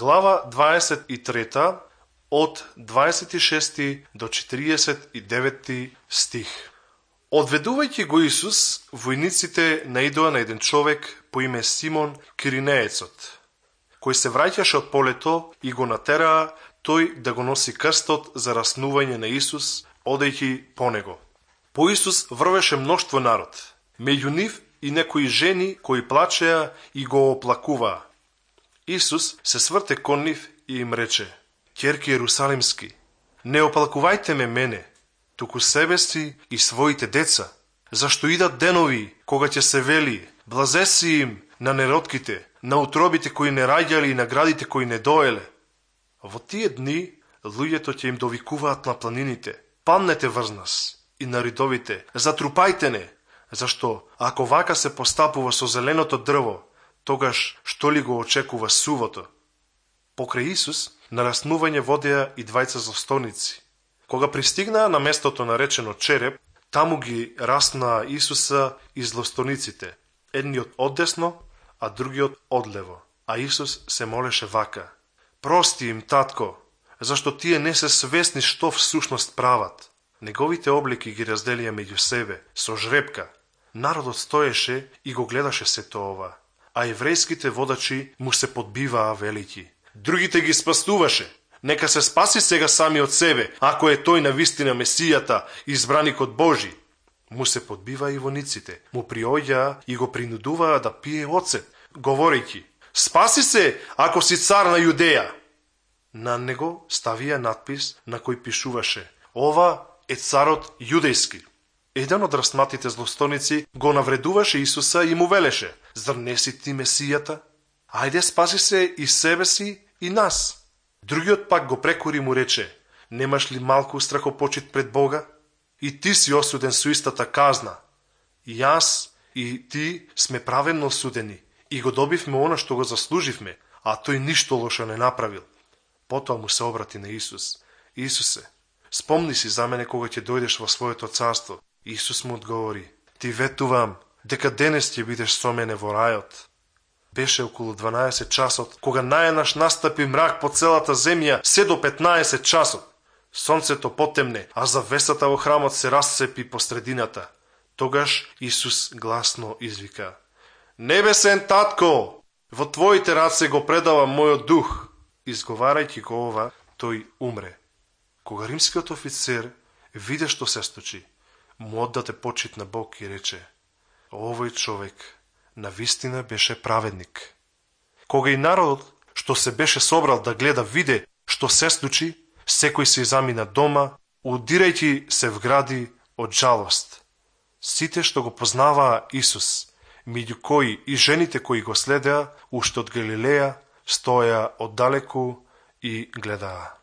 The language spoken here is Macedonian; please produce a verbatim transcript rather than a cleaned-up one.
Глава дваесет и трета, од дваесет и шести до четиридесет и деветти стих. Одведувајќи го Исус, војниците наидоа на еден човек по име Симон Киринеецот, кој се враќаше од полето и го натераа тој да го носи крстот за раснување на Исус, одејќи по него. По Исус врвеше мноштво народ, меѓу нив и некои жени кои плачеа и го оплакуваа. Исус се сврте кон нив и им рече: Ќерки Јерусалимски, не оплакувајте ме мене, туку себе си и своите деца, зашто идат денови кога ќе се вели: блазеси им на неротките, на утробите кои не раѓале и на градите кои не доеле. Во тие дни луѓето ќе им довикуваат на планините: паднете врз нас, и на ридовите: затрупајте не, зашто ако вака се постапува со зеленото дрво, тогаш што ли го очекува сувото? Покрај Исус на раснување водеа и двајца злостоници. Кога пристигнаа на местото наречено Череп, таму ги раснаа Исуса и злостониците, едниот оддесно, а другиот одлево. А Исус се молеше вака: прости им, татко, зашто тие не се свесни што всушност прават. Неговите облики ги разделија меѓу себе со жрепка. Народот стоеше и го гледаше сето ова, а еврејските водачи му се подбиваа велики: другите ги спасуваше, нека се спаси сега сами од себе, ако е тој навистина Месијата, избраникот Божи. Му се подбиваа и вониците, му приоѓаа и го принудуваа да пие оцет, говорејќи: спаси се, ако си цар на Јудеја. На него ставија надпис на кој пишуваше: ова е царот јудејски. Еден од раснатите злостоници го навредуваше Исуса и му велеше: зар не си ти Месијата? Ајде, спаси се и себе си и нас. Другиот пак го прекори и му рече: немаш ли малку страхопочит пред Бога? И ти си осуден со истата казна. И јас и ти сме праведно осудени и го добивме она што го заслуживме, а тој ништо лошо не направил. Потоа му се обрати на Исус: Исусе, спомни си за мене кога ќе дојдеш во своето царство. Исус му одговори: ти ветувам дека денес ќе бидеш со мене во рајот. Беше околу дванаесет часот, кога најнаш настапи мрак по целата земја, се до петнаесет часот. Сонцето потемне, а завесата во храмот се расцепи по средината. Тогаш Исус гласно извика: небесен татко, во твоите раце го предавам мојот дух. Изговарајќи го ова, тој умре. Кога римскиот офицер виде што се случи, му оддаде почит на Бог и рече: овој човек навистина беше праведник. Кога и народот што се беше собрал да гледа виде што се случи, секој се замина дома, удирајќи се вгради од жалост. Сите што го познаваа Исус, меѓу кои и жените кои го следеа уште од Галилеја, стоеа оддалеку и гледаа.